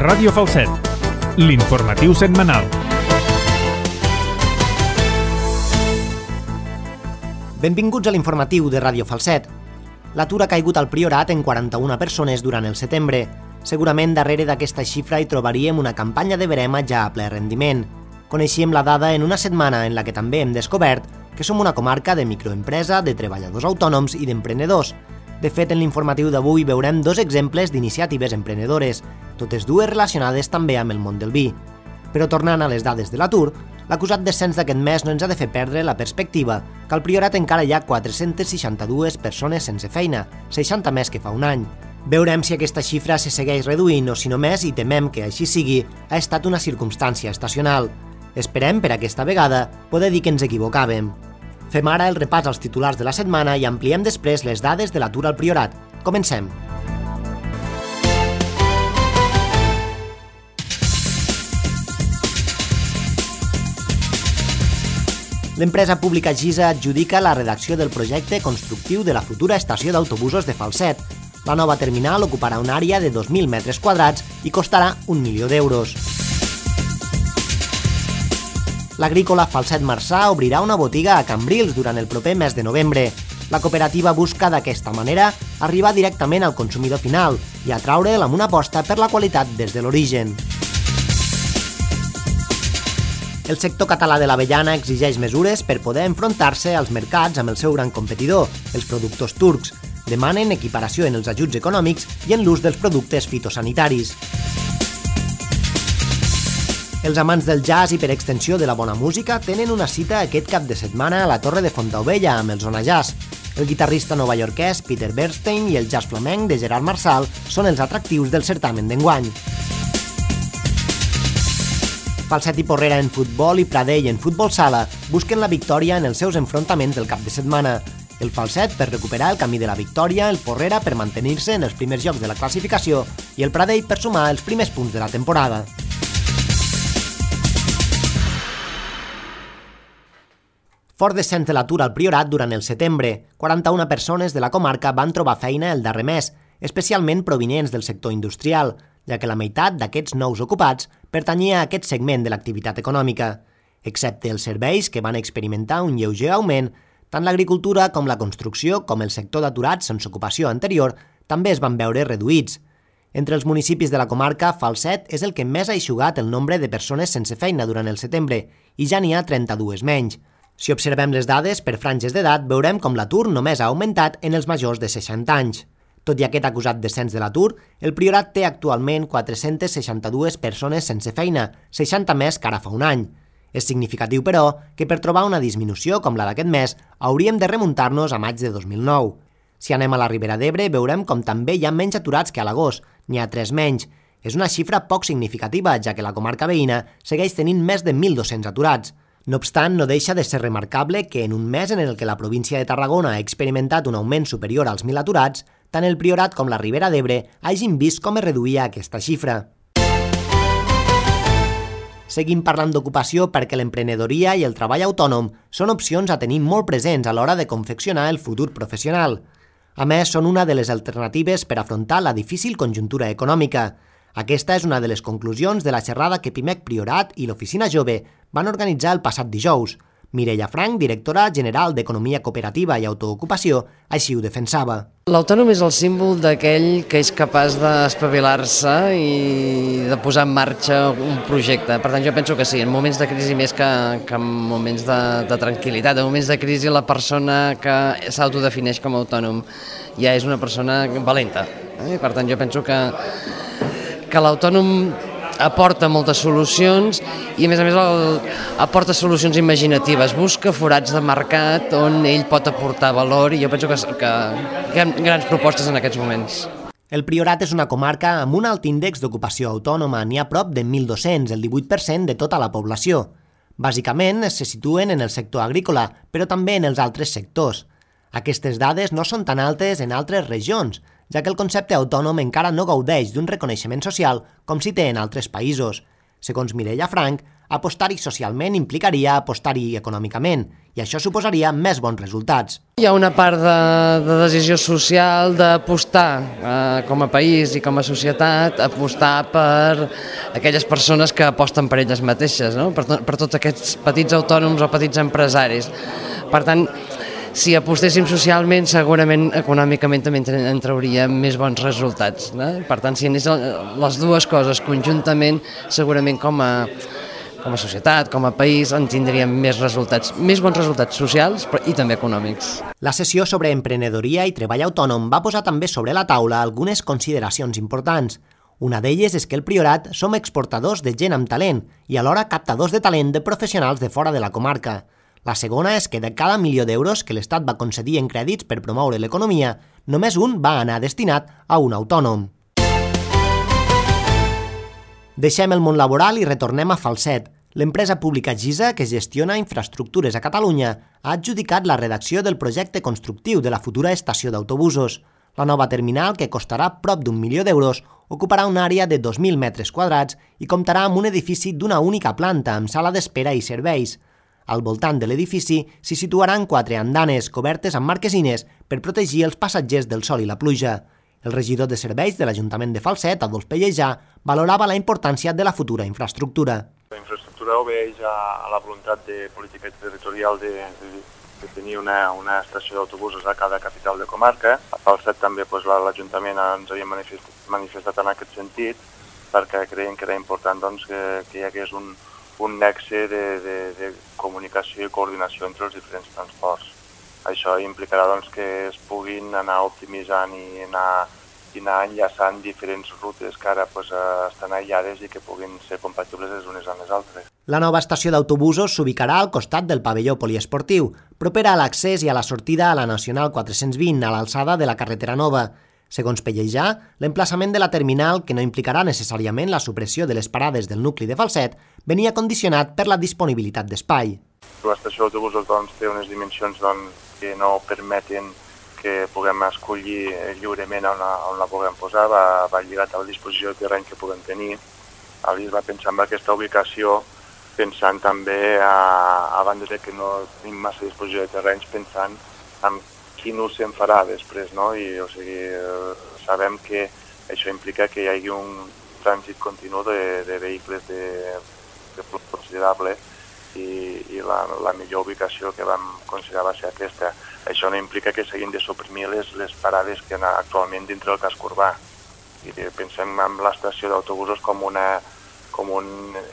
Ràdio Falset, l'informatiu setmanal. Benvinguts a l'informatiu de Ràdio Falset. L'atur ha caigut al Priorat en 41 persones durant el setembre. Segurament darrere d'aquesta xifra hi trobaríem una campanya de verema ja a ple rendiment. Coneixíem la dada en una setmana en la que també hem descobert que som una comarca de microempresa, de treballadors autònoms i d'emprenedors. De fet, en l'informatiu d'avui veurem dos exemples d'iniciatives emprenedores, totes dues relacionades també amb el món del vi. Però tornant a les dades de l'atur, l'acusat descens d'aquest mes no ens ha de fer perdre la perspectiva que al Priorat encara hi ha 462 persones sense feina, 60 més que fa un any. Veurem si aquesta xifra se segueix reduint o si només, i temem que així sigui, ha estat una circumstància estacional. Esperem, per aquesta vegada, poder dir que ens equivocàvem. Fem ara el repàs als titulars de la setmana i ampliem després les dades de l'atur al Priorat. Comencem. L'empresa pública Gisa adjudica la redacció del projecte constructiu de la futura estació d'autobusos de Falset. La nova terminal ocuparà una àrea de 2.000 metres quadrats i costarà 1 milió d'euros. L'agrícola Falset Marçà obrirà una botiga a Cambrils durant el proper mes de novembre. La cooperativa busca d'aquesta manera arribar directament al consumidor final i atraure'l amb una aposta per la qualitat des de l'origen. El sector català de l'avellana exigeix mesures per poder enfrontar-se als mercats amb el seu gran competidor, els productors turcs. Demanen equiparació en els ajuts econòmics i en l'ús dels productes fitosanitaris. Els amants del jazz i per extensió de la bona música tenen una cita aquest cap de setmana a la Torre de Fontaubella amb el Zona Jazz. El guitarrista novaiorquès Peter Bernstein i el jazz flamenc de Gerard Marçal són els atractius del certamen d'enguany. Falset i Porrera en futbol i Pradell en futbol sala busquen la victòria en els seus enfrontaments del cap de setmana. El Falset per recuperar el camí de la victòria, el Porrera per mantenir-se en els primers llocs de la classificació i el Pradell per sumar els primers punts de la temporada. Fort descens de l'atur al Priorat durant el setembre. 41 persones de la comarca van trobar feina el darrer mes, especialment provinents del sector industrial, ja que la meitat d'aquests nous ocupats pertanyia a aquest segment de l'activitat econòmica. Excepte els serveis, que van experimentar un lleuger augment, tant l'agricultura com la construcció com el sector d'aturats sense ocupació anterior també es van veure reduïts. Entre els municipis de la comarca, Falset és el que més ha eixugat el nombre de persones sense feina durant el setembre i ja n'hi ha 32 menys. Si observem les dades per franges d'edat, veurem com l'atur només ha augmentat en els majors de 60 anys. Tot i aquest acusat descens de l'atur, el Priorat té actualment 462 persones sense feina, 60 més que ara fa un any. És significatiu, però, que per trobar una disminució com la d'aquest mes hauríem de remuntar-nos a maig de 2009. Si anem a la Ribera d'Ebre, veurem com també hi ha menys aturats que a l'agost, n'hi ha 3 menys. És una xifra poc significativa, ja que la comarca veïna segueix tenint més de 1.200 aturats. No obstant, no deixa de ser remarcable que en un mes en el que la província de Tarragona ha experimentat un augment superior als 1.000 aturats, tant el Priorat com la Ribera d'Ebre hagin vist com es reduïa aquesta xifra. Seguim parlant d'ocupació perquè l'emprenedoria i el treball autònom són opcions a tenir molt presents a l'hora de confeccionar el futur professional. A més, són una de les alternatives per afrontar la difícil conjuntura econòmica. Aquesta és una de les conclusions de la xerrada que Pimec Priorat i l'Oficina Jove van organitzar el passat dijous. Mireia Frank, directora general d'Economia Cooperativa i Autoocupació, així ho defensava. L'autònom és el símbol d'aquell que és capaç d'espavilar-se i de posar en marxa un projecte. Per tant, jo penso que sí, en moments de crisi més que en moments de tranquil·litat. En moments de crisi la persona que s'autodefineix com a autònom ja és una persona valenta. Per tant, jo penso que l'autònom aporta moltes solucions i a més aporta solucions imaginatives, busca forats de mercat on ell pot aportar valor i jo penso que hi ha grans propostes en aquests moments. El Priorat és una comarca amb un alt índex d'ocupació autònoma, n'hi ha prop de 1.200, el 18% de tota la població. Bàsicament se situen en el sector agrícola, però també en els altres sectors. Aquestes dades no són tan altes en altres regions, ja que el concepte autònom encara no gaudeix d'un reconeixement social com si té en altres països. Segons Mireia Frank, Apostar-hi socialment implicaria apostar-hi econòmicament, i això suposaria més bons resultats. Hi ha una part de decisió social d'apostar com a país i com a societat, apostar per aquelles persones que aposten per elles mateixes, no? Per tots aquests petits autònoms o petits empresaris. Per tant, si apostéssim socialment, segurament econòmicament també en trauríem més bons resultats, no? Per tant, si anés les dues coses conjuntament, segurament com a societat, com a país, en tindríem més bons resultats socials i també econòmics. La sessió sobre emprenedoria i treball autònom va posar també sobre la taula algunes consideracions importants. Una d'elles és que el Priorat som exportadors de gent amb talent i alhora captadors de talent de professionals de fora de la comarca. La segona és que de cada 1 milió d'euros que l'Estat va concedir en crèdits per promoure l'economia, només un va anar destinat a un autònom. Deixem el món laboral i retornem a Falset. L'empresa pública GISA, que gestiona infraestructures a Catalunya, ha adjudicat la redacció del projecte constructiu de la futura estació d'autobusos. La nova terminal, que costarà prop d'1 milió d'euros, ocuparà una àrea de 2.000 metres quadrats i comptarà amb un edifici d'una única planta amb sala d'espera i serveis. Al voltant de l'edifici s'hi situaran 4 andanes cobertes amb marquesines per protegir els passatgers del sol i la pluja. El regidor de serveis de l'Ajuntament de Falset, Adolf Pellejà, valorava la importància de la futura infraestructura. La infraestructura obeeix a la voluntat de política territorial de tenir una estació d'autobusos a cada capital de comarca. A Falset també l'Ajuntament ens havia manifestat en aquest sentit perquè creiem que era important que hi hagués un nexe de comunicació i coordinació entre els diferents transports. Això implicarà que es puguin anar optimitzant i anar enllaçant diferents rutes que ara estan aïllades i que puguin ser compatibles les unes amb les altres. La nova estació d'autobusos s'ubicarà al costat del pavelló poliesportiu, propera a l'accés i a la sortida a la Nacional 420, a l'alçada de la carretera nova. Segons Pellejà, l'emplaçament de la terminal, que no implicarà necessàriament la supressió de les parades del nucli de Falset, venia condicionat per la disponibilitat d'espai. L'estació d'autobusos té unes dimensions que no permeten que puguem escollir lliurement on la puguem posar, va lligat a la disposició de terreny que puguem tenir. Es va pensar en aquesta ubicació, pensant també, a banda de que no tenim massa disposició de terrenys, pensant en quin ús se'n farà després, no? Sabem que això implica que hi hagi un trànsit continu de vehicles de flux considerable i la millor ubicació que vam considerar va ser aquesta. Això no implica que s'hagin de suprimir les parades que hi ha actualment dintre del casc urbà. I pensem en l'estació d'autobusos com un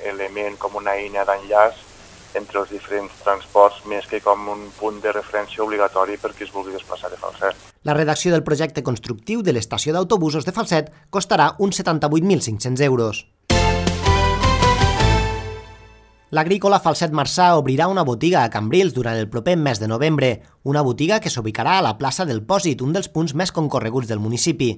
element, com una eina d'enllaç entre els diferents transports, més que com un punt de referència obligatori per qui es vulgui desplaçar de Falset. La redacció del projecte constructiu de l'estació d'autobusos de Falset costarà uns 78.500 euros. L'agrícola Falset Marçà obrirà una botiga a Cambrils durant el proper mes de novembre, una botiga que s'ubicarà a la plaça del Pòsit, un dels punts més concorreguts del municipi.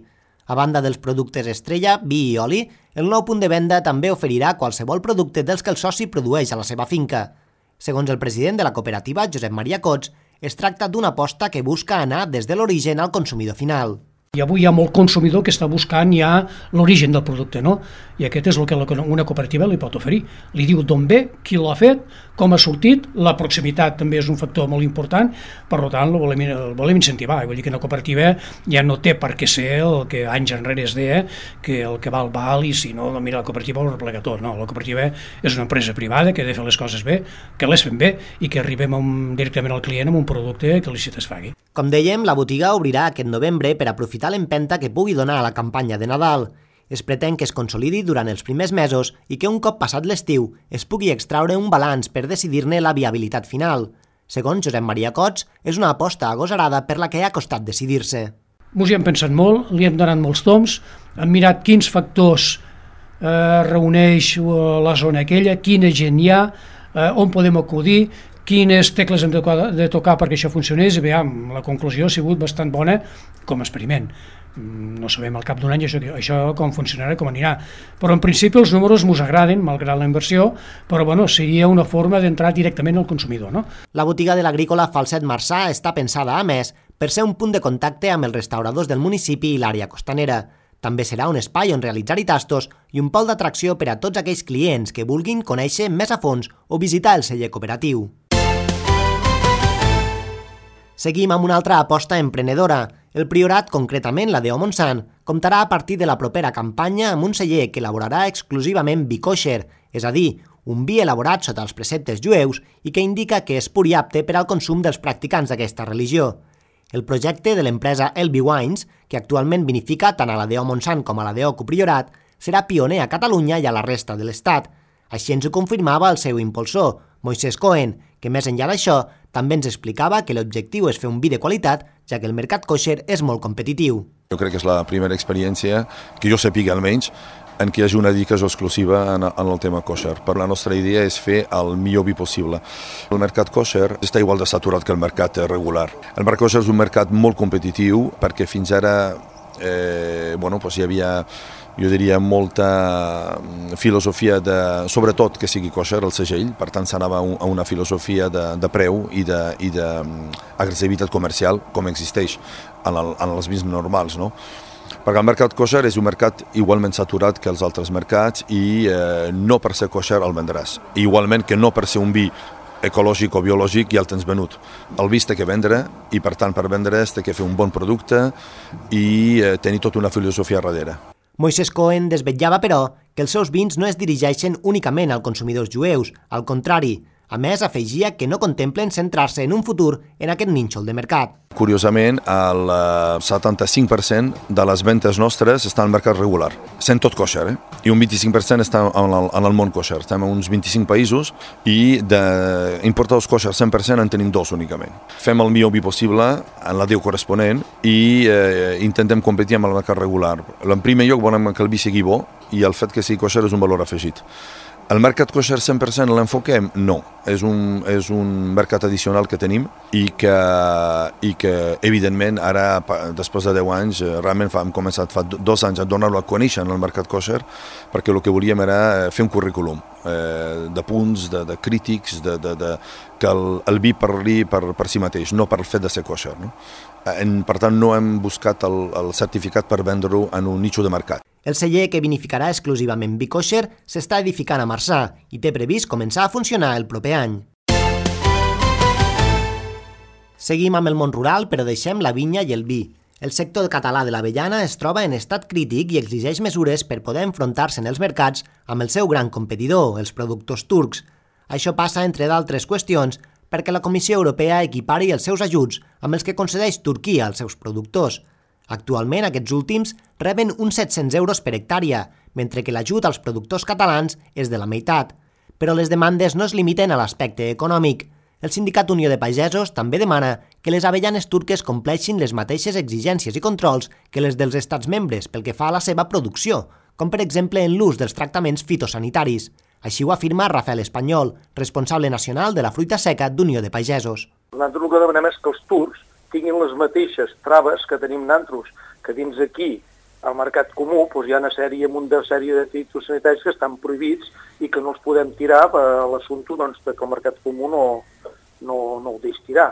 A banda dels productes estrella, vi i oli, el nou punt de venda també oferirà qualsevol producte dels que el soci produeix a la seva finca. Segons el president de la cooperativa, Josep Maria Cots, es tracta d'una aposta que busca anar des de l'origen al consumidor final. I avui hi ha molt consumidor que està buscant ja l'origen del producte, no? I aquest és el que una cooperativa li pot oferir. Li diu d'on ve, qui l'ha fet, com ha sortit, la proximitat també és un factor molt important, per tant el volem incentivar. Vull dir que una cooperativa ja no té per què ser el que anys enrere es deia, que el que val, i si no, mira, la cooperativa ho replega tot. No, la cooperativa és una empresa privada que ha de fer les coses bé, que les fem bé i que arribem directament al client amb un producte que li satisfagui. Com dèiem, la botiga obrirà aquest novembre per aprofitar l'empenta que pugui donar a la campanya de Nadal. Es pretén que es consolidi durant els primers mesos i que un cop passat l'estiu es pugui extraure un balanç per decidir-ne la viabilitat final. Segons Josep Maria Cots, és una aposta agosarada per la que ha costat decidir-se. Ens hi hem pensat molt, li hem donat molts toms, hem mirat quins factors reuneix la zona aquella, quina gent hi ha, on podem acudir, quines tecles hem de tocar perquè això funcionés, i veiem, la conclusió ha sigut bastant bona com a experiment. No sabem al cap d'un any això com funcionarà, com anirà, però en principi els números ens agraden, malgrat la inversió, però seria una forma d'entrar directament al consumidor. No? La botiga de l'agrícola Falset Marçà està pensada, a més, per ser un punt de contacte amb els restauradors del municipi i l'àrea costanera. També serà un espai on realitzar-hi tastos i un pol d'atracció per a tots aquells clients que vulguin conèixer més a fons o visitar el celler cooperatiu. Seguim amb una altra aposta emprenedora. El Priorat, concretament la d'O Montsant, comptarà a partir de la propera campanya amb un celler que elaborarà exclusivament vi kosher, és a dir, un vi elaborat sota els preceptes jueus i que indica que és pur i apte per al consum dels practicants d'aquesta religió. El projecte de l'empresa Elby Wines, que actualment vinifica tant a la d'O Montsant com a la d'O Priorat, serà pioner a Catalunya i a la resta de l'Estat. Així ens ho confirmava el seu impulsor, Moisés Cohen, que més enllà d'això també ens explicava que l'objectiu és fer un vi de qualitat, ja que el mercat kosher és molt competitiu. Jo crec que és la primera experiència, que jo sàpiga almenys, en què hi hagi una dedicació exclusiva en el tema kosher. Per la nostra idea és fer el millor vi possible. El mercat kosher està igual de saturat que el mercat regular. El mercat kosher és un mercat molt competitiu perquè fins ara hi havia, jo diria, molta filosofia sobretot que sigui kosher el segell, per tant s'anava a una filosofia de preu i d'agressivitat comercial com existeix en els vins normals, no? Perquè el mercat kosher és un mercat igualment saturat que els altres mercats i no per ser kosher el vendràs. Igualment que no per ser un vi ecològic o biològic ja el tens venut. El vi s'ha de vendre i per tant per vendre s'ha de fer un bon producte i tenir tota una filosofia darrere. Moisés Cohen desvetllava, però, que els seus vins no es dirigeixen únicament als consumidors jueus, al contrari. A més, afegia que no contemplen centrar-se en un futur en aquest nínxol de mercat. Curiosament, el 75% de les ventes nostres estan al mercat regular, sent tot kosher, i un 25% està en el món kosher. Estem a uns 25 països i d'importadors kosher 100% en tenim 2 únicament. Fem el millor vi possible en la DEU corresponent i intentem competir amb el mercat regular. En primer lloc volem que el vi sigui bo i el fet que sigui kosher és un valor afegit. El mercat kosher 100% l'enfoquem? No. És un mercat addicional que tenim i que evidentment, ara, després de 10 anys, realment hem començat fa 2 anys a donar-lo a conèixer en el mercat kosher, perquè el que volíem era fer un currículum de punts, de crítics, que el vi parli per si mateix, no per el fet de ser kosher, no? Per tant, no hem buscat el certificat per vendre-ho en un nicho de mercat. El celler, que vinificarà exclusivament vi kosher, s'està edificant a Marçà i té previst començar a funcionar el proper any. Seguim amb el món rural, però deixem la vinya i el vi. El sector català de l'avellana es troba en estat crític i exigeix mesures per poder enfrontar-se en els mercats amb el seu gran competidor, els productors turcs. Això passa, entre d'altres qüestions, perquè la Comissió Europea equipari els seus ajuts amb els que concedeix Turquia als seus productors. Actualment, aquests últims reben uns 700 euros per hectàrea, mentre que l'ajut als productors catalans és de la meitat. Però les demandes no es limiten a l'aspecte econòmic. El Sindicat Unió de Pagesos també demana que les avellanes turques compleixin les mateixes exigències i controls que les dels estats membres pel que fa a la seva producció, com per exemple en l'ús dels tractaments fitosanitaris. Així ho afirma Rafael Espanyol, responsable nacional de la fruita seca d'Unió de Pagesos. Nosaltres el que demanem és que els turcs tinguin les mateixes traves que tenim nosaltres, que dins aquí, al mercat comú, hi ha una sèrie de fitosanitaris que estan prohibits i que no els podem tirar a l'assumpte que el mercat comú no ho deixa tirar.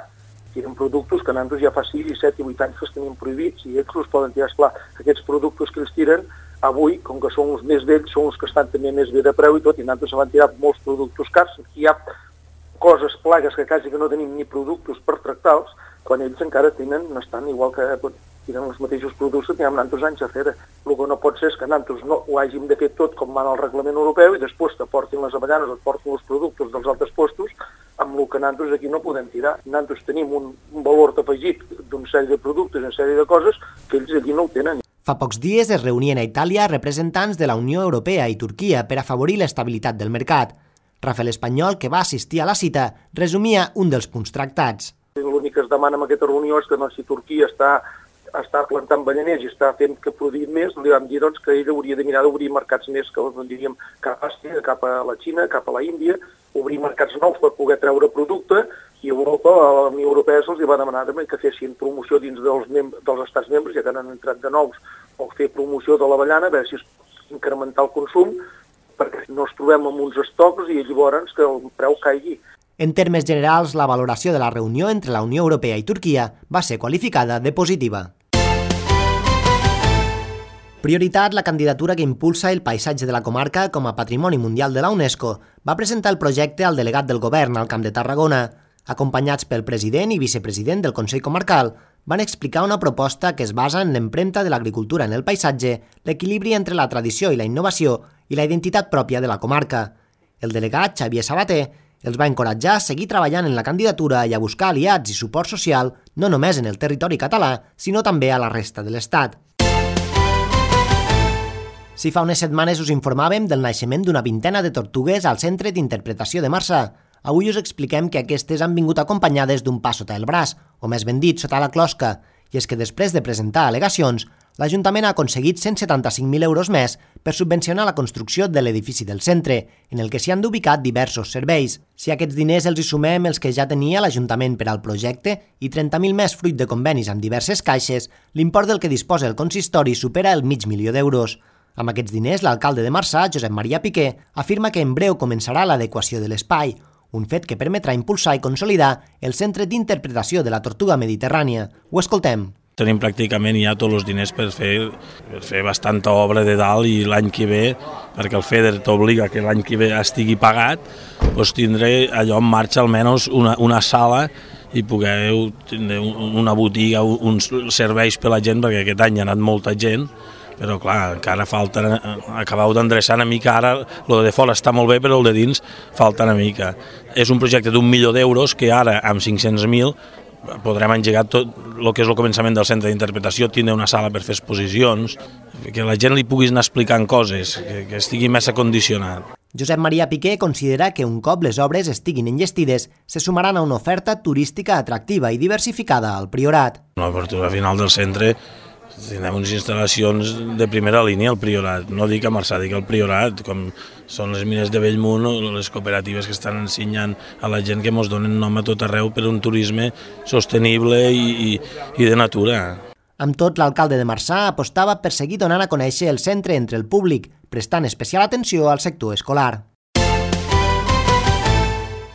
Tiren productes que nosaltres ja fa 6, 7 i 8 anys que els tenim prohibits i ells els poden tirar. Esclar, aquests productes que els tiren, avui, com que són els més vells, són els que estan també més bé de preu i tot, i nosaltres se van tirar molts productes cars. Aquí hi ha coses, plagues, que quasi que no tenim ni productes per tractar-los, quan ells encara estan igual que tenen els mateixos productes que tenim nosaltres anys a fer. El que no pot ser és que nosaltres no ho hàgim de fer tot com mana el reglament europeu i després t'aportin les avellanes, et portin els productes dels altres postos, amb el que nosaltres aquí no podem tirar. Nosaltres tenim un valor afegit d'una sèrie de productes, una sèrie de coses que ells aquí no ho tenen. Fa pocs dies es reunien a Itàlia representants de la Unió Europea i Turquia per afavorir l'estabilitat del mercat. Rafael Espanyol, que va assistir a la cita, resumia un dels punts tractats. L'únic que es demana en aquesta reunió és que si Turquia està plantant avellaners i està fent que produïm més, li vam dir que ell hauria de mirar d'obrir mercats més, que diríem cap a Àsia, cap a la Xina, cap a la Índia, obrir mercats nous per poder treure producte, i Europa, la Unió Europea se'ls va demanar que fessin promoció dins dels estats membres, ja que han entrat de nous, o fer promoció de l'avellana, a veure si es pot incrementar el consum, perquè no ens trobem amb uns estocs i llavors que el preu caigui. En termes generals, la valoració de la reunió entre la Unió Europea i Turquia va ser qualificada de positiva. Prioritat, la candidatura que impulsa el paisatge de la comarca com a Patrimoni Mundial de la UNESCO, va presentar el projecte al delegat del govern al Camp de Tarragona. Acompanyats pel president i vicepresident del Consell Comarcal, van explicar una proposta que es basa en l'empremta de l'agricultura en el paisatge, l'equilibri entre la tradició i la innovació i la identitat pròpia de la comarca. El delegat, Xavier Sabater, els va encoratjar a seguir treballant en la candidatura i a buscar aliats i suport social no només en el territori català, sinó també a la resta de l'Estat. Si fa unes setmanes us informàvem del naixement d'una vintena de tortugues al Centre d'Interpretació de Marçà, avui us expliquem que aquestes han vingut acompanyades d'un pa sota el braç, o més ben dit, sota la closca, i és que després de presentar al·legacions, l'Ajuntament ha aconseguit 175.000 euros més per subvencionar la construcció de l'edifici del centre, en el que s'hi han d'ubicar diversos serveis. Si a aquests diners els hi sumem els que ja tenia l'Ajuntament per al projecte i 30.000 més fruit de convenis amb diverses caixes, l'import del que disposa el consistori supera el $500.000 d'euros. Amb aquests diners, l'alcalde de Marçà, Josep Maria Piqué, afirma que en breu començarà l'adequació de l'espai, un fet que permetrà impulsar i consolidar el Centre d'Interpretació de la Tortuga Mediterrània. Ho escoltem. Tenim pràcticament ja tots els diners per fer bastanta obra de dalt i l'any que ve, perquè el FEDER t'obliga que l'any que ve estigui pagat, doncs tindré allò en marxa almenys una sala i poder tindre una botiga, uns serveis per la gent, perquè aquest any ha anat molta gent, però clar, encara falta acabar d'endreçar una mica. Ara el de fora està molt bé, però el de dins falta una mica. És un projecte d'1.000.000 que ara amb 500.000 podrem engegar tot el que és el començament del centre d'interpretació, tindre una sala per fer exposicions, que la gent li pugui anar explicant coses, que estigui més acondicionat. Josep Maria Piqué considera que un cop les obres estiguin enllestides, se sumaran a una oferta turística atractiva i diversificada al Priorat. L'obertura final del centre tindrem unes instal·lacions de primera línia al Priorat, no dic a Marçà, dic al Priorat, com són les mines de Bellmunt o les cooperatives que estan ensenyant a la gent que ens donen nom a tot arreu per un turisme sostenible i de natura. Amb tot, l'alcalde de Marçà apostava per seguir donant a conèixer el centre entre el públic, prestant especial atenció al sector escolar.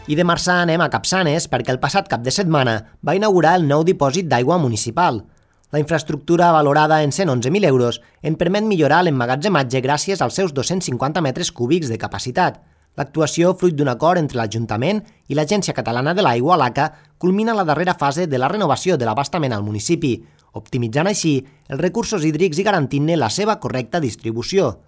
I de Marçà anem a Capçanes perquè el passat cap de setmana va inaugurar el nou dipòsit d'aigua municipal. La infraestructura, valorada en 111.000 euros, en permet millorar l'emmagatzematge gràcies als seus 250 metres cúbics de capacitat. L'actuació, fruit d'un acord entre l'Ajuntament i l'Agència Catalana de l'Aigua, l'ACA, culmina la darrera fase de la renovació de l'abastament al municipi, optimitzant així els recursos hídrics i garantint-ne la seva correcta distribució.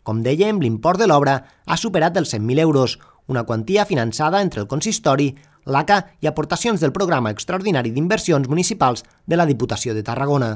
Com dèiem, l'import de l'obra ha superat els 100.000 euros, una quantia finançada entre el consistori, l'ACA i aportacions del Programa Extraordinari d'Inversions Municipals de la Diputació de Tarragona.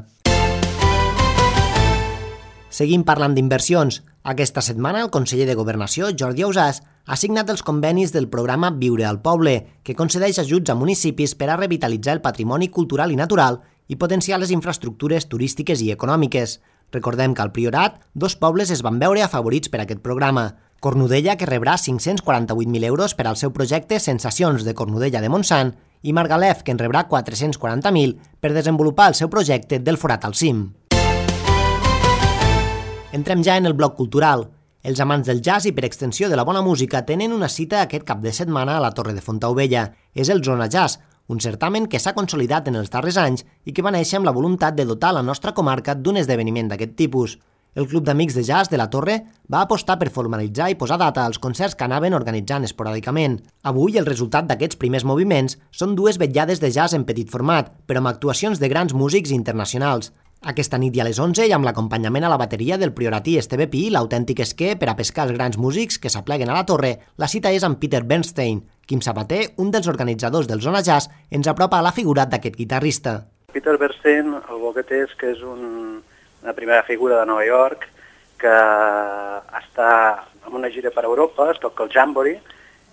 Seguim parlant d'inversions. Aquesta setmana el conseller de Governació, Jordi Ausàs, ha signat els convenis del programa Viure al Poble, que concedeix ajuts a municipis per a revitalitzar el patrimoni cultural i natural i potenciar les infraestructures turístiques i econòmiques. Recordem que al Priorat, 2 pobles es van veure afavorits per aquest programa. Cornudella, que rebrà 548.000 euros per al seu projecte Sensacions de Cornudella de Montsant, i Margalef, que en rebrà 440.000 per desenvolupar el seu projecte del Forat al Cim. Entrem ja en el bloc cultural. Els amants del jazz i, per extensió, de la bona música tenen una cita aquest cap de setmana a la Torre de Fontaubella. És el Zona Jazz, un certamen que s'ha consolidat en els darrers anys i que va néixer amb la voluntat de dotar la nostra comarca d'un esdeveniment d'aquest tipus. El Club d'Amics de Jazz de la Torre va apostar per formalitzar i posar data als concerts que anaven organitzant esporàdicament. Avui, el resultat d'aquests primers moviments són 2 vetllades de jazz en petit format, però amb actuacions de grans músics internacionals. Aquesta nit i a les 11, i amb l'acompanyament a la bateria del prioratí Esteve Pi, l'autèntic esquer per a pescar els grans músics que s'apleguen a la torre, la cita és amb Peter Bernstein. Quim Sabater, un dels organitzadors del Zona Jazz, ens apropa a la figura d'aquest guitarrista. Peter Bernstein, el bo que té és que és una primera figura de Nova York que està en una gira per Europa, es toca el Jamboree,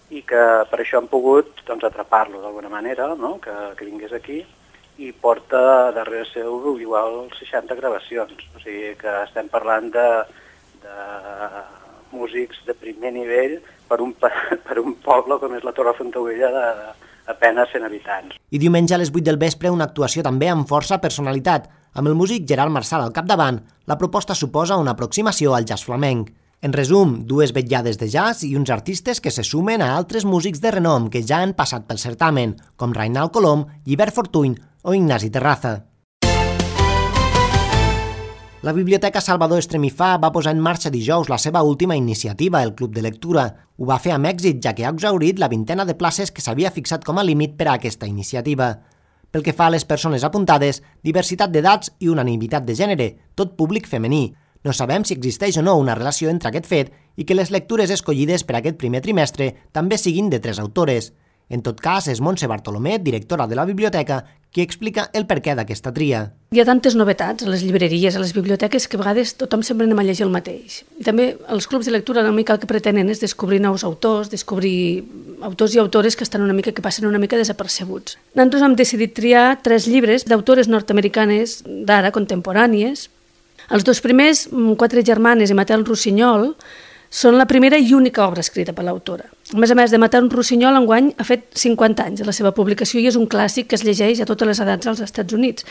i que per això han pogut atrapar-lo d'alguna manera, no? que vingués aquí, i porta darrere seu igual 60 gravacions. O sigui que estem parlant de músics de primer nivell per un poble com és la Torre de Fontaubella d'apenas 100 habitants. I diumenge a les 8 del vespre una actuació també amb força personalitat. Amb el músic Gerard Marsal al capdavant, la proposta suposa una aproximació al jazz flamenc. En resum, 2 vetllades de jazz i uns artistes que se sumen a altres músics de renom que ja han passat pel certamen, com Reinald Colom, Llibert Fortuny o Ignasi Terraza. La Biblioteca Salvador Estremifà va posar en marxa dijous la seva última iniciativa, el Club de Lectura. Ho va fer amb èxit, ja que ha exhaurit la 20ena de places que s'havia fixat com a límit per a aquesta iniciativa. Pel que fa a les persones apuntades, diversitat d'edats i unanimitat de gènere, tot públic femení. No sabem si existeix o no una relació entre aquest fet i que les lectures escollides per aquest primer trimestre també siguin de 3 autores. En tot cas, és Montse Bartolomé, directora de la biblioteca, qui explica el perquè d'aquesta tria. Hi ha tantes novetats a les llibreries, a les biblioteques, que a vegades tothom sempre anem a llegir el mateix. I també els clubs de lectura una mica el que pretenen és descobrir nous autors, descobrir autors i autores que estan que passen una mica desapercebuts. Nosaltres hem decidit triar 3 llibres d'autores nord-americanes d'ara, contemporànies. Els 2 primers, 4 germanes i Matel Rossinyol, són la primera i única obra escrita per l'autora. A més, de Matel Rossinyol, enguany ha fet 50 anys de la seva publicació i és un clàssic que es llegeix a totes les edats als Estats Units.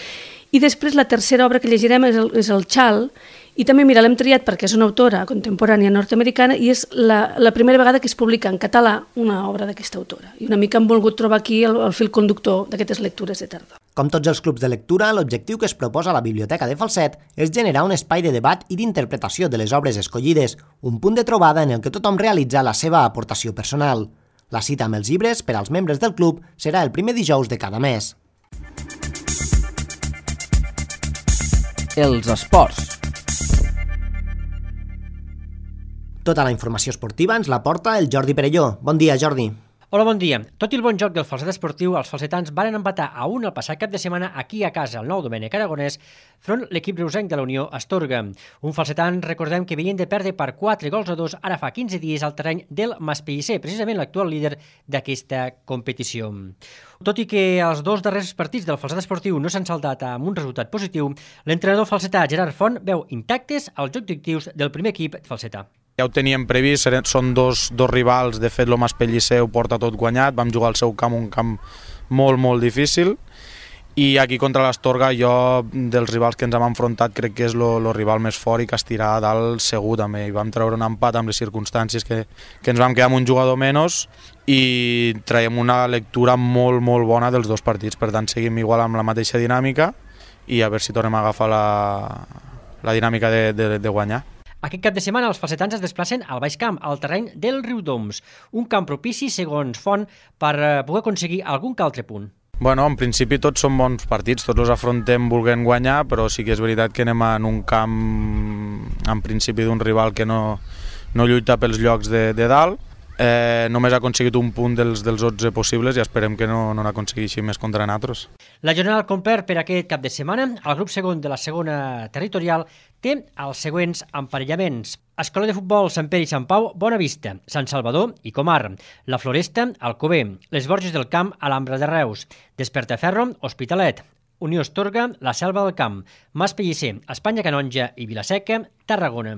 I després la tercera obra que llegirem és el Chal, i també, l'hem triat perquè és una autora contemporània nord-americana i és la primera vegada que es publica en català una obra d'aquesta autora. I una mica hem volgut trobar aquí el fil conductor d'aquestes lectures de tardor. Com tots els clubs de lectura, l'objectiu que es proposa a la Biblioteca de Falset és generar un espai de debat i d'interpretació de les obres escollides, un punt de trobada en el que tothom realitza la seva aportació personal. La cita amb els llibres per als membres del club serà el primer dijous de cada mes. Els esports. Tota la informació esportiva ens la porta el Jordi Perelló. Bon dia, Jordi. Hola, bon dia. Tot i el bon joc del falset esportiu, els falsetans varen empatar a 1 el passat cap de setmana aquí a casa, al Nou Domènec Aragonès, front l'equip reusenc de la Unió Astorga. Un falsetan, recordem que venien de perdre per 4-2 ara fa 15 dies al terreny del Maspellisser, precisament l'actual líder d'aquesta competició. Tot i que els 2 darrers partits del falset esportiu no s'han saldat amb un resultat positiu, l'entrenador falsetà Gerard Font veu intactes els objectius del primer equip falsetà. Ja ho teníem previst, són dos rivals, de fet el Maspellisser ho porta tot guanyat, vam jugar al seu camp, un camp molt, molt difícil, i aquí contra l'Astorga jo dels rivals que ens hem enfrontat crec que és el rival més fort i que estirà a dalt segur també, i vam treure un empat amb les circumstàncies que ens vam quedar amb un jugador menys i traiem una lectura molt, molt bona dels 2 partits, per tant seguim igual amb la mateixa dinàmica i a veure si tornem a agafar la dinàmica de guanyar. Aquest cap de setmana els falsetans es desplacen al Baix Camp, al terreny del Riudoms, un camp propici, segons Font, per poder aconseguir algun que altre punt. Bueno, en principi tots són bons partits, tots els afrontem volent guanyar, però sí que és veritat que anem en un camp, en principi, d'un rival que no lluita pels llocs de dalt. Només ha aconseguit un punt dels 11 possibles i esperem que no n'aconsegueixi més contra nosaltres. La jornada al complet per aquest cap de setmana, el grup segon de la segona territorial té els següents emparellaments. Escola de Futbol Sant Pere i Sant Pau, Bonavista, Sant Salvador i Comar, La Floresta, Alcover, Les Borges del Camp, Alhambra de Reus, Despertaferro, Hospitalet, Unió Astorga, La Selva del Camp, Maspellisser, Espanya Canonja i Vilaseca, Tarragona.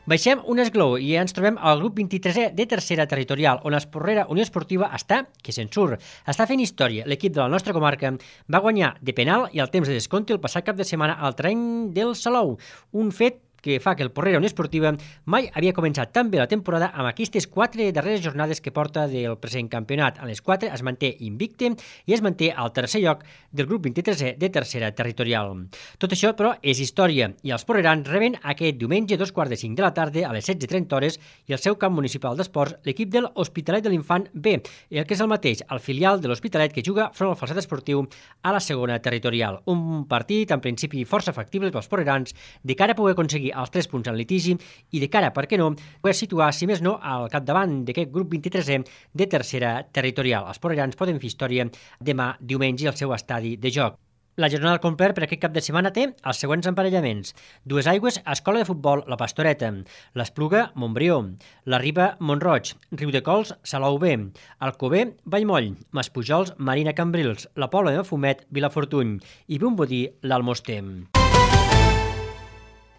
Baixem un esglaó i ens trobem al grup 23è de tercera territorial, on l'Esporrera Unió Esportiva està, que se'n surt. Està fent història. L'equip de la nostra comarca va guanyar de penal i al temps de descompte el passat cap de setmana al terreny del Salou. Un fet que fa que el Porrera Unió Esportiva mai havia començat tan bé la temporada amb aquestes 4 darreres jornades que porta del present campionat. En les 4 es manté invicte i es manté al tercer lloc del grup 23è de tercera territorial. Tot això, però, és història i els porrerans reben aquest diumenge 2:45 de la tarda a les 16:30 i al seu camp municipal d'esports l'equip de l'Hospitalet de l'Infant B, el que és el mateix, el filial de l'Hospitalet que juga front al falset esportiu a la segona territorial. Un partit, en principi, força factible pels porrerans de cara a poder aconseguir els 3 punts en litigi i de cara, per què no, poder situar, si més no, al capdavant d'aquest grup 23è de tercera territorial. Els porrerans poden fer història demà diumenge al seu estadi de joc. La jornada al complet per aquest cap de setmana té els següents emparellaments. Duesaigües, Escola de Futbol, La Pastoreta, l'Espluga, Montbrió, la Riba, Montroig, Riudecols, Salou B, Alcover, Vallmoll, Maspujols, Marina Cambrils, la Pobla de Mafumet, Vilafortuny i Vimbodí, l'Almoster.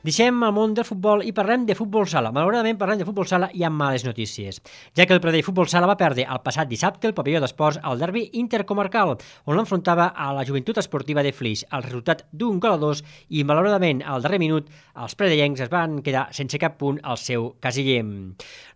Deixem el món del futbol i parlem de futbol sala. Malauradament parlem de futbol sala i amb males notícies, ja que el Pradell Futbol Sala va perdre el passat dissabte el pavelló d'esports al derbi intercomarcal, on l'enfrontava a la Joventut Esportiva de Flix, al resultat d'1-2, i malauradament al darrer minut els pradellencs es van quedar sense cap punt al seu casiller.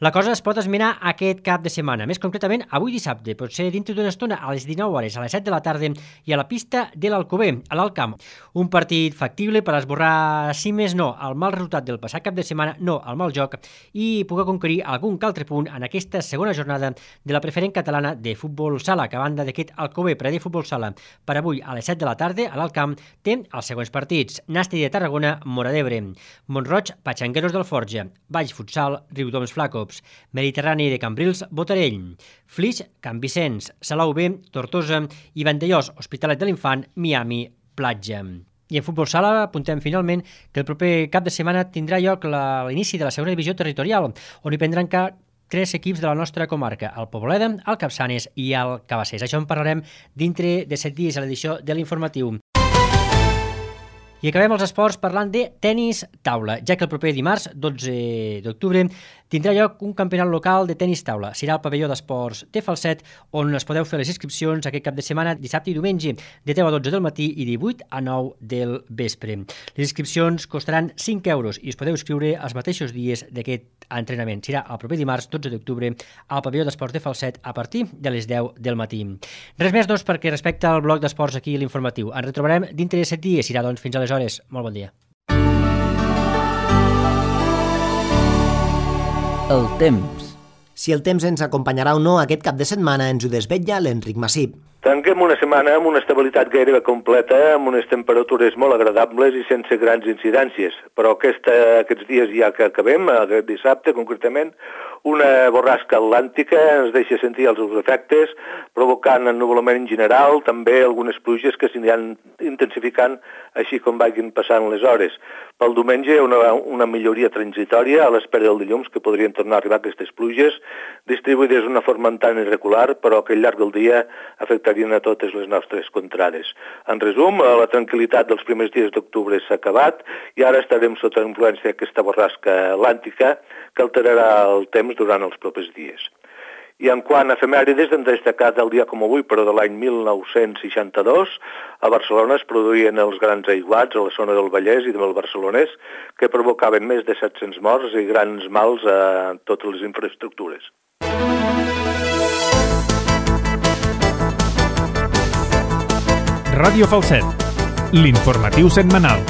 La cosa es pot esmenar aquest cap de setmana, més concretament avui dissabte, potser dintre d'una estona a les 19 hores, a les 7 de la tarda, i a la pista de l'Alcover, a l'Alt Camp. Un partit factible per esborrar, si més no, el mal resultat del passat cap de setmana, no el mal joc, i poder conquerir algun que altre punt en aquesta segona jornada de la preferent catalana de futbol sala, que a banda d'aquest Alcover Pradell Futbol Sala per avui a les 7 de la tarda a l'Alt Camp té els següents partits: Nàstic de Tarragona, Móra d'Ebre; Mont-roig, Patxangueros del Forja; Valls Futsal, Riudoms Flacops; Mediterrani de Cambrils, Botarell; Flix, Can Vicenç; Salou B, Tortosa; i Vandellós, Hospitalet de l'Infant, Miami, Platja. I en futbol sala apuntem finalment que el proper cap de setmana tindrà lloc l'inici de la segona divisió territorial, on hi prendran 3 equips de la nostra comarca, el Poboleda, el Capçanes i el Cabassers. Això en parlarem dintre de 7 dies a l'edició de l'Informatiu. I acabem els esports parlant de tenis taula, ja que el proper dimarts, 12 d'octubre, tindrà lloc un campionat local de tenis taula. Serà al pavelló d'esports de Falset, on es podeu fer les inscripcions aquest cap de setmana, dissabte i diumenge, de 10 a 12 del matí i 18 a 9 del vespre. Les inscripcions costaran 5 euros i us podeu inscriure els mateixos dies d'aquest entrenament. Serà el proper dimarts, 12 d'octubre, al pavelló d'esports de Falset a partir de les 10 del matí. Res més, doncs, perquè respecte al bloc d'esports aquí a l'Informatiu. Ens retrobarem dintre de 7 dies. Serà, doncs, fins aleshores. Molt bon dia. El temps. Si el temps ens acompanyarà o no aquest cap de setmana ens ho desvetlla l'Enric Massip. Tanquem una setmana amb una estabilitat gairebé completa, amb unes temperatures molt agradables i sense grans incidències. Però aquests dies ja que acabem, aquest dissabte concretament, una borrasca atlàntica ens deixa sentir els seus efectes, provocant ennuvolament general, també algunes pluges que s'aniran intensificant així com vagin passant les hores. Pel diumenge una milloria transitòria a l'espera del dilluns, que podrien tornar a arribar aquestes pluges, distribuïdes d'una forma tan irregular, però que al llarg del dia afectarien a totes les nostres contrades. En resum, la tranquil·litat dels primers dies d'octubre s'ha acabat i ara estarem sota influència d'aquesta borrasca atlàntica que alterarà el temps durant els propers dies. I en quant a efemèrides, hem destacat el dia com avui, però de l'any 1962, a Barcelona es produïen els grans aiguats a la zona del Vallès i del Barcelonès, que provocaven més de 700 morts i grans mals a totes les infraestructures. Ràdio Falset, l'informatiu setmanal.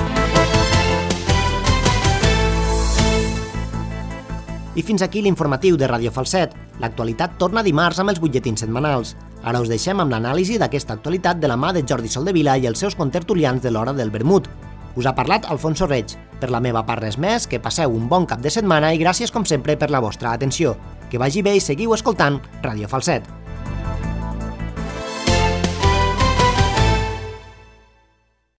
I fins aquí l'informatiu de Ràdio Falset. L'actualitat torna dimarts amb els butlletins setmanals. Ara us deixem amb l'anàlisi d'aquesta actualitat de la mà de Jordi Soldevila i els seus contertulians de l'hora del vermut. Us ha parlat Alfonso Reig. Per la meva part res més, que passeu un bon cap de setmana i gràcies com sempre per la vostra atenció. Que vagi bé i seguiu escoltant Ràdio Falset.